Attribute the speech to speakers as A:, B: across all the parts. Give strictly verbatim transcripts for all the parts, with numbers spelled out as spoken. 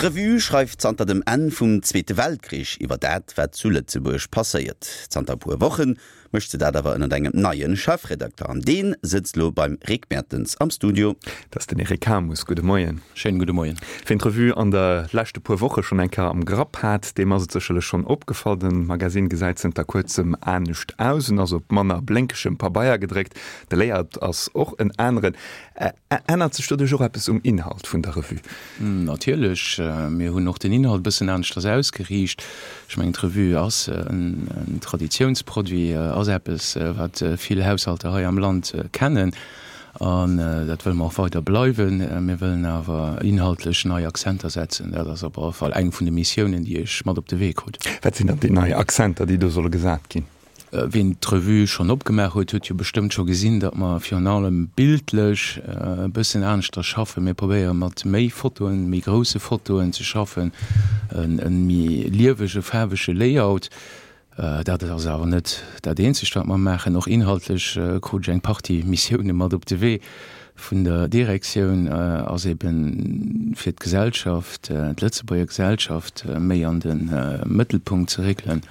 A: D'Revue schreift zanter dem Enn vum Zweete Weltkrich iwwer dat, wat zu Lëtzebuerg passéiert. Zanter e puer Woche mécht se dat awer ënnert engem neie Chefredakter. An dee sëtzt lo beim Rick Mertens am Studio.
B: Dat ass den Eric Hamus. Gudde Moien.
C: Schéinen gudde Moien.
B: Wien d'Revue an de leschte puer Woche schonn eng Kéier am Grapp hat, deem ass et sécherlech schonn opgefall, De Magasinn gesäit zënter kuerzem anescht aus. En ass op manner blénkegem Pabeier gedréckt. De Layout ass och en aneren. Ännert sech doduerch och eppes um Inhalt vun der Revue?
C: Natierlech. Mir hunn och den Inhalt e bëssen aneschters ausgeriicht. Ech mengen, d'Revue ass en Traditiounsproduit, ass eppes, wat vill Haushalter hei am Land kennen. An dat wëlle mer och weider bleiwen. Mir wëllen awer inhaltlech nei Akzenter setzen. Dat ass op alle Fall eng vun de Missiounen, déi ech mat op de Wee krut.
B: Wat sinn dann déi nei Akzenter, déi do solle gesat ginn?
C: Wien d'Revue schonn opgemaach huet, huet jo bestëmmt scho gesinn, datt mer virun allem bildlech e bëssen aneschters schaffen. Mir probéiere mat méi Fotoen, méi grousse Fotoen ze schaffen, e méi liewege, faarwege Layout. Dat ass awer net dat eenzegt, wat mer maachen. Och inhaltlech krut ech eng Partie Missioune mat op de Wee vun der Direktioun, ass ebe fir d'Gesellschaft, d'Lëtzebuerger Gesellschaft méi an de Mëttelpunkt ze réckelen.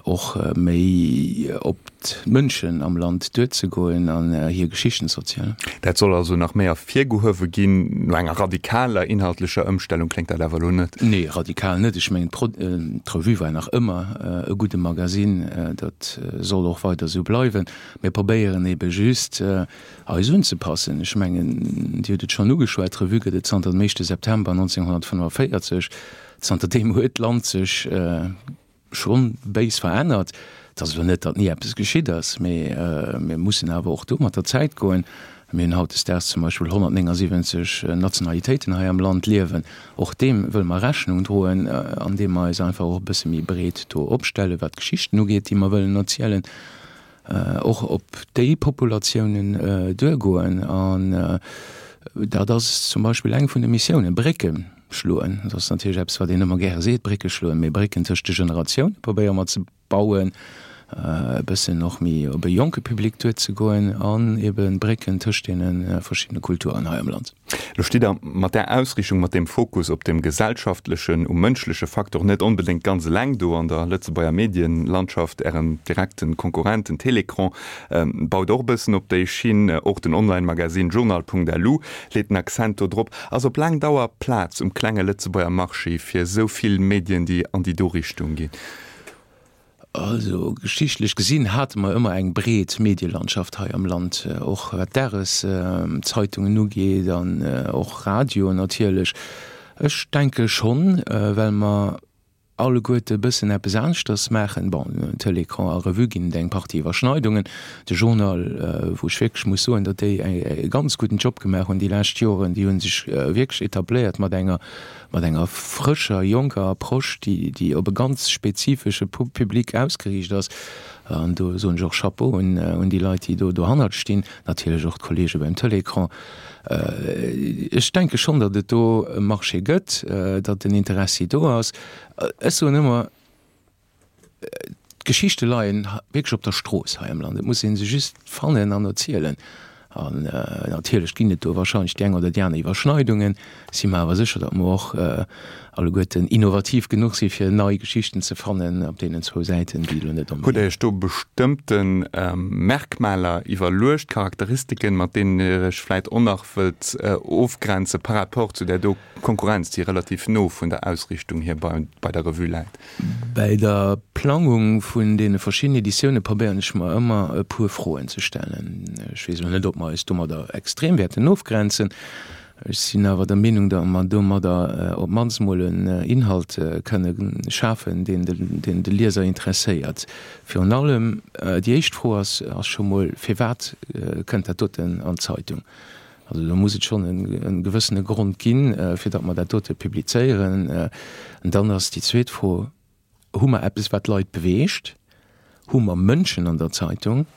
C: Och méi op d'Mënschen am Land duerzegoen an hir Geschichten ze erzielen.
B: Dat soll also nach méi ervirgehuewe ginn. No enger radikaler inhaltlecher Ëmstellung kléngt dat awer elo net.
C: Nee, radikal net. Ech mengen, d'Revue war nach ëmmer e gudde Magasinn. Dat soll och weider esou bleiwen. Mir probéieren ebe just, eis unzepassen. Ech mengen, Dir hutt et schonn ugeschwat, d'Revue gëtt et zanter dem éischte September nonzénghonnertfënnefenvéierzeg. Zanterdeem huet d'Land sech schonn béis verännert. Et ass elo net, datt ni eppes geschitt ass, mee mir mussen awer och do mat der Zäit goen. Mir hunn hautdesdaags zum Beispill honnertnéngasiwwenzeg Nationalitéiten hei am Land liewen. Och deem wëlle mer Rechnung droen, andeem mer eis einfach och e bësse méi breet do opstellen, wat d'Geschichten ugeet, déi mer wëllen erzielen, och op déi Populatiounen duergoen. An dat ass zum Beispill eng vun de Missiounen, Brécke schloen. Dat ass natierlech eppes, wat een ëmmer gäre seet, Brécke schloen, mee Brécken tëscht de Generatioune probéiere mer ze bauen, e bëssen och méi op e jonke Public duerzegoen an ebe Brécken tëscht deene verschiddene Kulturen hei am Land.
B: Lo stitt Der mat där Ausriichtung, mat deem Fokus op dem gesellschaftlechen, um mënschleche Faktor net onbedéngt ganz eleng do an der Lëtzebuerger Medienlandschaft. Ären direkten Konkurrent, den Télécran, baut och e bëssen op déi Schinn. Och den Online-Magazin Journal.lu leet den Accent do drop. Ass op laang Dauer Plaz um klenge Lëtzebuerger Marché fir esou vill Medien, déi an déi do Richtung ginn?
C: Also geschichtlech gesinn hate mer ëmmer eng breet Medielandschaft hei am Land, och wat d'Dageszeitungen ugeet an och Radio natierlech. Ech denke schonn, well mer alleguerte e bëssen eppes aneschters maachen. Bon, Télécran a Revue ginn et eng Partie Iwwerschneidungen. De Journal, wou ech wierklech muss soen, datt déi e ganz gudden Job gemaach hunn déi lescht Joren, déi hu sech wierklech etabléiert mat enger mat enger frëscher, jonker Approche, déi, déi op e ganz spezifesche Public ausgeriicht ass. An do soen ech och Chapeau un, un déi Leit, déi do dohannert stinn, natierlech och d'Kollege beim Télécran. Ech denke schonn, datt et do e Marché gëtt, datt den Interessi do ass. Ech soen ëmmer, D'Geschichte leien wierklech op der Strooss hei am Land. Et muss ee se just fannen an erzielen. An natierlech ginn et do wahrscheinlech déi eng oder déi aner Iwwerschneidungen. Si mer awer sécher, datt mer och alleguerten innovativ genuch si fir nei Geschichten ze fannen op deenen zwou Säiten, déi elo net
B: onbedéngt. Hutt Der Iech do bestëmmte Merkmaler iwwerluecht, Charakteristiken, mat deenen Dir Iech vläit och nach wëllt ofgrenze par rapport zu där do Konkurrenz, déi relativ no vun der Ausriichtung hier bei der Revue läit?
C: Bäi der Plangung vun deene verschiddenen Editioune probéieren ech mer ëmmer e puer Froen ze stellen. Ech weess elo net, ob mer eis domadder extrem wäerten ofgrenzen. Ech sinn awer der Meenung, datt mer domadder op d'mannst mol en Inhalt kënne schafen, deen de Lieser interesséiert. Virun allem déi éischt Fro ass scho mol, Firwat kënnt dat doten an d'Zeitung? Also do muss et schonn e gewëssene Grond ginn, fir datt mer dat dote publizéieren. An dann ass déi zweet Fro, Hu mer eppes, wat d'Leit beweegt? Hu mer Mënschen an der Zeitung?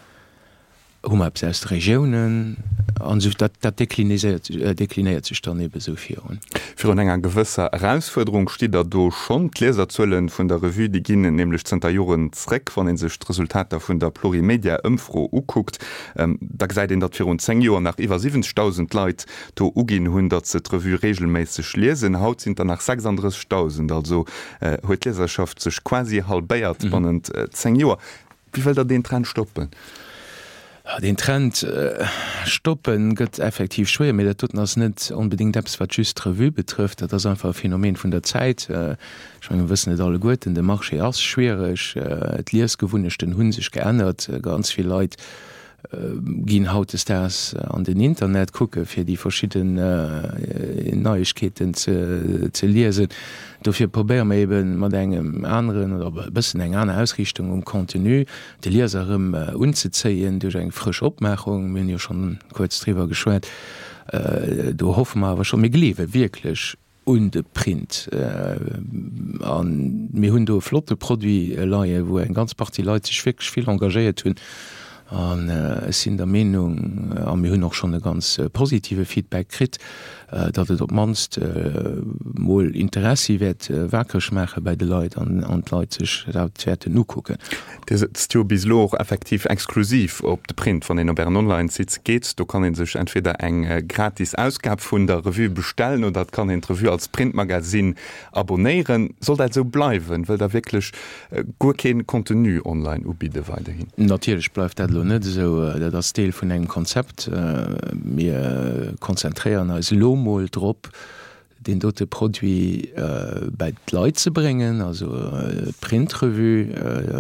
C: Hu mer eppes aus de Regiounen? An esou, dat, dat deklinéiert, deklinéiert sech dann ebe sou virun.
B: Virun enger gewësser Erausfuerderung stitt Der do schonn. D'Lieserzuele vun der Revue, déi ginn nämlech zënter Joren zréck. Wann ee sech d'Resultater vun der Plurimedia-Ëmfro ukuckt, da gesäit een, datt virun zéng Joer nach iwwer siwwenzegdausend Leit do uginn hunn, datt se d'Revue reegelméisseg liesen. Haut sinn et der nach sechsanddrëssegdausend. Also huet d'Lieserschaft sech quasi halbéiert bannent zéng Joer. Wéi wëllt Der deen Trend stoppen?
C: Deen Trend stoppen gëtt effektiv schwéier, mee dat doten ass net onbedéngt eppes, wat just d'Revue betrëfft. Dat ass einfach e Phänomen vun der Zäit. Ech menge mir wëssen et alleguerten, de Marché ass schwiereg, d'Liesgewunnechten hu sech geännert, ganz vill Leit ginn hautdesdaags an den Internet kucke fir déi verschidden Neiegkeeten ze liesen. Dofir probéiere mer ebe mat engem aneren oder e bëssen eng aner Ausriichtung um Contenu de Lieser erëm unzezéien duerch eng frësch Opmaachung. Mir hunn jo schonn kuerz driwwer geschwat. Do hoffe mer awer schonn, mir gleewe wierklech un de Print. A mir hunn do e flotte Produit leien, wou eng ganz Partie Leit sech wierklech vill engagéiert hunn. An ech sinn der Meenung, a mir hunn och schonn e ganz positive Feedback kritt, datt et op d'mannst mol Interessi wäert wakereg maache bäi de Leit an d'Leit sech dat wäerten ukucken.
B: Dir sëtzt jo bis elo och effektiv exklusiv op de Print. Wann een op Ären Online-Site geet, do kann ee sech entweder eng gratis Ausgab vun der Revue bestellen oder et kann een d'Revue als Printmagasinn abonéieren. Soll dat esou bleiwen? Wëllt Der wierklech guer kee Contenu online ubidde weiderhin?
C: Natierlech bleift dat elo net esou. Dat ass Deel vun engem Konzept. Mir konzentréieren eis elo mol drop, deen dote Produit bäi d'Leit ze bréngen, also d'Printrevue,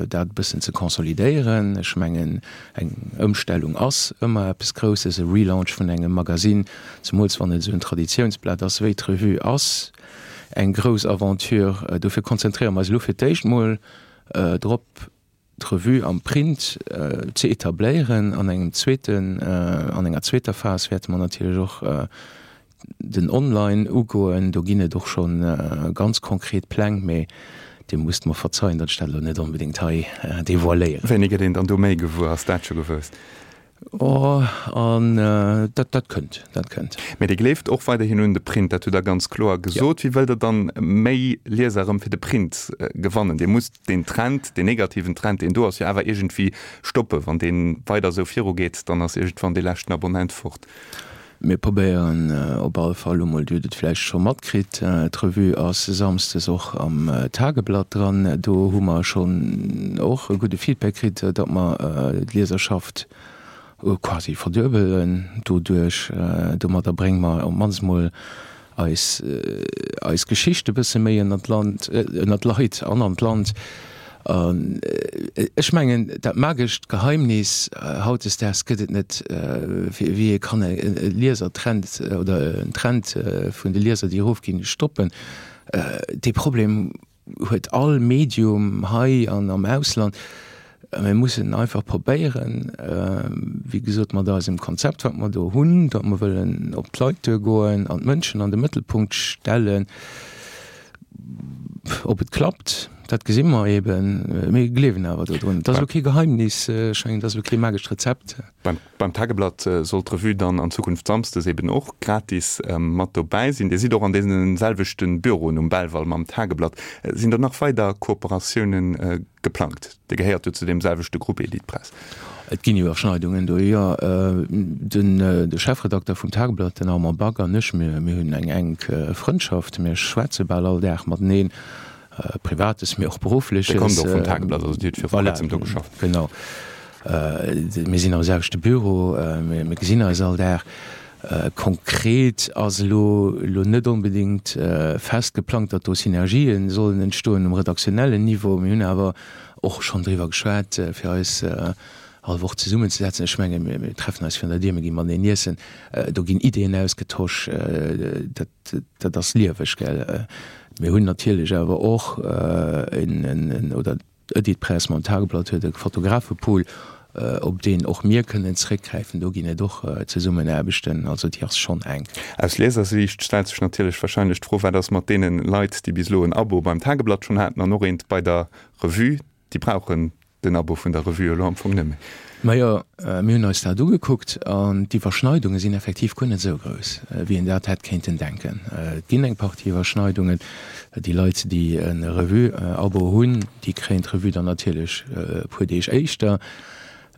C: dat e bëssen ze consolidéieren. Ech mengen, eng Ëmstellung ass ëmmer eppes Grousses, e Relaunch vun engem Magasinn, zemools wann et esou en Traditiounsblat ass wéi d'Revue, ass eng grouss Aventure. Dofir konzentréiere mer eis elo fir d'éischt mol drop, d'Revue am Print ze etabléieren. An engem zweeten, an enger zweeter Phas wäerte mer natierlech och den Online ugoen. Do ginn et och scho ganz konkret Pläng, mee Dir musst mer verzeien, datt ech dat elo net onbedéngt hei devoiléieren.
B: Wéini gëtt een dann do méi gewuer? Ass dat scho gewosst?
C: Oh, an dat, dat kënnt, dat kënnt.
B: Mee Dir gleeft och weiderhin un de Print, dat hutt Der ganz kloer gesot. Wéi wëllt Der dann méi Lieser erëm fir de Print gewannen? Dir musst deen Trend, deen negativen Trend, deen do ass, jo awer iergendwéi stoppen. Wann dee weider esou virugeet, dann ass iergendwann dee leschten Abonnent fort.
C: Mir probéieren op alle Fall elo mol, Dir hutt et vläicht scho matkritt, d'Revue ass samsdes och am Tageblatt dran. Do hu mer schonn och e gudde Feedback kritt, datt mer d'Lieserschaft quasi verduebelen doduerch. Domadder brénge mer op d'mannst mol eis eis Geschicht e bësse méi ënnert d'Land, ënnert d'Leit an an d'Land. An ech mengen, dat magescht Geheimnis hautdesdaags gëtt et net, wéi ee kann e Liesertrend oder en Trend vun de Lieser, déi erofginn, stoppen. Dee Problem huet all Medium hei an am Ausland. Mir mussen einfach probéieren, wéi gesot, mat eisem Konzept, wat mer do hunn, datt mer wëllen op d'Leit duergoen an d'Mënschen an de Mëttelpunkt stellen. Ob et klappt, dat gesi mer eben. Mir gleewen awer dodrun. Et ass elo kee Geheimnis, ech mengen, et ass elo kee magescht Rezept.
B: Beim Tageblatt soll d'Revue dann an Zukunft samsdes eben och gratis mat dobäi sinn. Dir sidd och an deene selwechte Büroen um Belval mam Tageblatt. Sinn do nach weider Kooperatiounen geplangt? Dir gehéiert jo zu deem selwechte Grupp Editpress.
C: Et ginn Iwwerschneidungen do, jo. Den de Chefredakter vum Tageblatt, den Armand Back, an ech, mir mir hunn eng enk Frëndschaft. Mir schwätze bal all Dag mateneen, Privates, mee och Beruffleches.
B: Dir kommt och vum Tageblatt, also Dir hutt viru kuerzem do geschafft.
C: Voilà, genau. Mir sinn am selwechte Büro, mir gesinn eis all Dag. Konkret ass elo elo net onbedéngt fest geplangt, datt do Synergien sollen entstoen um redaktionellen Niveau. Mir hunn awer och schonn driwwer geschwat, fir eis all Woch zesummenzesetzen. Ech menge mir treffen eis virun der Dier, mir gi mateneen iessen, do ginn Ideeën ausgetosch. Dat dat ass lieweg, gell. Mir hunn natierlech awer och en, oder D'Editpress mam Tageblatt huet e Fotografepool, op deen och mir kënnen zréckgräifen. Do ginn et och Zesummenaarbechten, also déi ass schonn enk.
B: Aus Liesersiicht stellt sech natierlech warscheinlech d'Fro, Wat ass mat deene Leit, déi bis elo en Abo beim Tageblatt schonn haten an och eent bei der Revue? Déi brauchen den Abo vun der Revue elo am Fong net méi.
C: Majo, mir hunn eis dat ugekuckt an d'Iwwerschneidunge sinn effektiv guer net esou grouss, wéi een dat hätt kéinten denken. Et ginn eng Partie Iwwerschneidungen. Déi Leit, déi e Revue-Abo hunn, déi kréien d'Revue dann natierlech e puer Deeg éischter.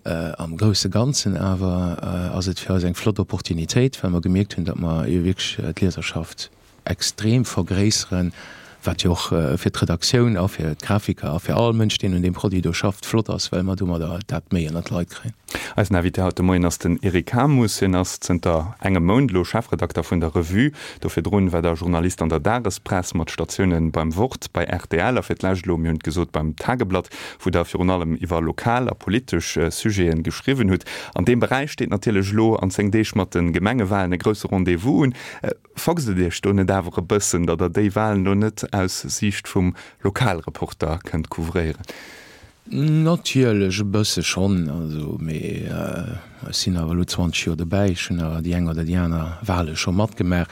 C: Am grousse Ganzen awer ass et fir eis eng flott Opportunitéit, well mer gemierkt hunn, datt mer wierklech d'Lieserschaft extrem vergréisseren, wat jo och fir d'Redaktioun a fir d'Grafiker a fir all Mënsch, deen un deem Produit do schafft, flott ass, well mer domadder dat méi ënnert d'Leit kréien.
B: Eisen Invité haut de Moien ass den Eric Hamus. Hien ass zënter engem Mount elo Chefredakter vun der Revue. Do virdrun war der Journalist an der Dagespress mat Statiounen beim Wort, bei rtl a fir d'lescht elo, mir hunn et gesot, beim Tageblatt, wou der virun allem iwwer lokal a politesch Sujeten geschriwwen hutt. An deem Beräich steet natierlech elo an zéng Deeg mat de Gemengewalen e grousse Rendez-vous un. Foxt et Iech do net awer e bëssen, datt Der déi Walen elo net aus Siicht vum Lokalreporter kënnt couvréieren?
C: Natierlech e bësse schonn, also, mee ech sinn awer elo zwanzeg Joer dobäi, ech hunn awer déi eng oder déi aner Wale scho matgemaach.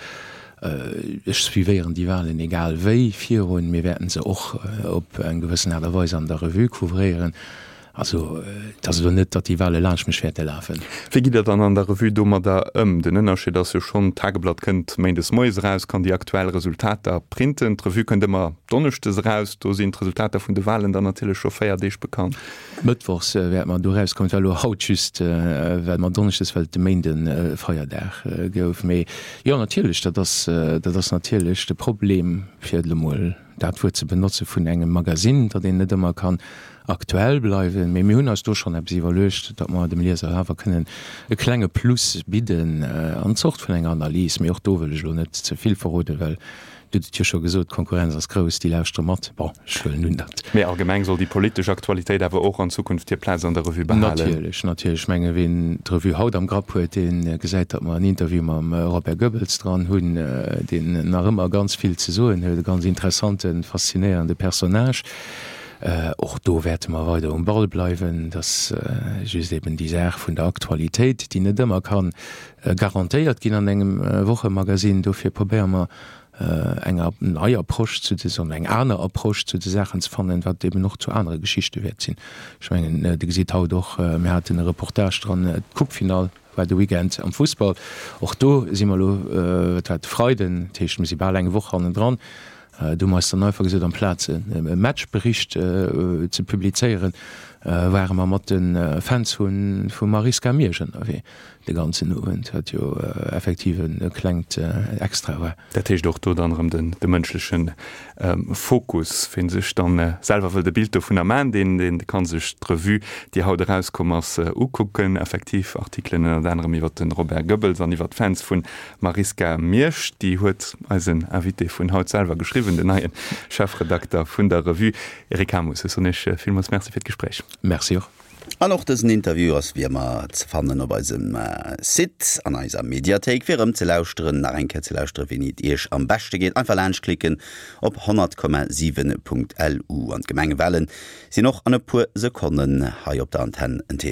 C: Ech suivéieren déi Walen egal wéi virun. Mir wäerten se och op eng gewëssen Aart a Weis an der Revue couvréieren. Also, et ass elo net, datt déi Wale laanscht mech wäerte lafen.
B: Wéi gitt Der dann an der Revue domadder ëm? Den Ënnerscheed ass jo schonn, d'Tageblatt kënnt méindes moies eraus, kann déi aktuell Resultater printen. D'Revue kënnt ëmmer donneschdes eraus. Do sinn d'Resultater vun de Walen dann natierlech scho véier Deeg bekannt.
C: Mëttwochs wäerte mer do erauskommen. Et war elo haut just, well mer donneschdes, well et de Méinde Feierdag gouf. Mee jo, natierlech, dat ass, dat ass natierlech de Problem, fir et elo mol dat Wuert ze benotzen, vun engem Magasinn, datt een net ëmmer kann aktuell bleiwen. Mee mir hunn eis do schonn eppes iwwerluecht, datt mer dem Lieser awer kënnen e klenge Plus bidden an Zort vun enger Analys. Mee och do wëll ech elo net ze vill verroden, well Dir hutt et jo scho gesot, d'Konkurrenz ass grouss, déi lauschtere mat. Bon, ech huelen un, datt.
B: Mee allgemeng soll déi politesch Aktualitéit awer och an Zukunft hir Plaz an der Revue behalen.
C: Natierlech, natierlech. Ech menge ween d'Revue haut am Grapp huet, dee gesäit, datt mer en Interview mam Robert Goebbels dran hunn, deen nach ëmmer ganz vill ze soen huet, e ganz interessanten, faszinéierende Personnage. Och do wäerte mer weider um Ball bleiwen. Et ass just eben déi Saach vun der Aktualitéit, déi net ëmmer ka garantéiert ginn an engem Wochemagazin. Dofir probéiere mer eng nei Approche zu de, eng aner Approche zu de Saachen ze fannen, wat eben och zu anere Geschichte wäert sinn. Ech mengen, Dir gesitt haut och, mir haten e Reportage dran, d'Coupefinall war de Weekend am Fussball. Och do si mer elo, dat war de Freiden, dat heescht, mir si bal eng Woch hannendran. Do hu mer eis dann einfach gesot, amplaz e Matchbericht ze publizéieren, ware mer mat de Fans vu Marisca Miersch ënnerwee de ganzen Owend, wat jo effektiv e klengt Extra war.
B: Dat heescht och do dann erëm de mënschleche Fokus. Ween sech dann selwer wëllt e Bild dovunner man, deen dee kann sech d'Revue, déi haut erauskomm ass, ukucken. Effektiv Artikelen ënnert anerem iwwer de Robert Goebbels an iwwer d'Fans vu Marisca Miersch. Déi huet eisen Invité vun haut selwer geschriwwen, den neie Chefredakter vun der Revue, Eric Hamus. Ech soen Iech villmools Merci fir d'Gespréich.
C: Merci och.
A: An och dësen Interview ass wéi ëmmer ze fannen op eisem Site an eiser Mediathéik fir erëm ze lauschteren, nach eng Kéier ze lauschteren, wéini et Iech am beschte geet. Einfach laanscht klicken op honnert Komma siwen Punkt lu. An d'Gemengewalen sinn och an e puer Sekonnen hei op der Antenn en Thema.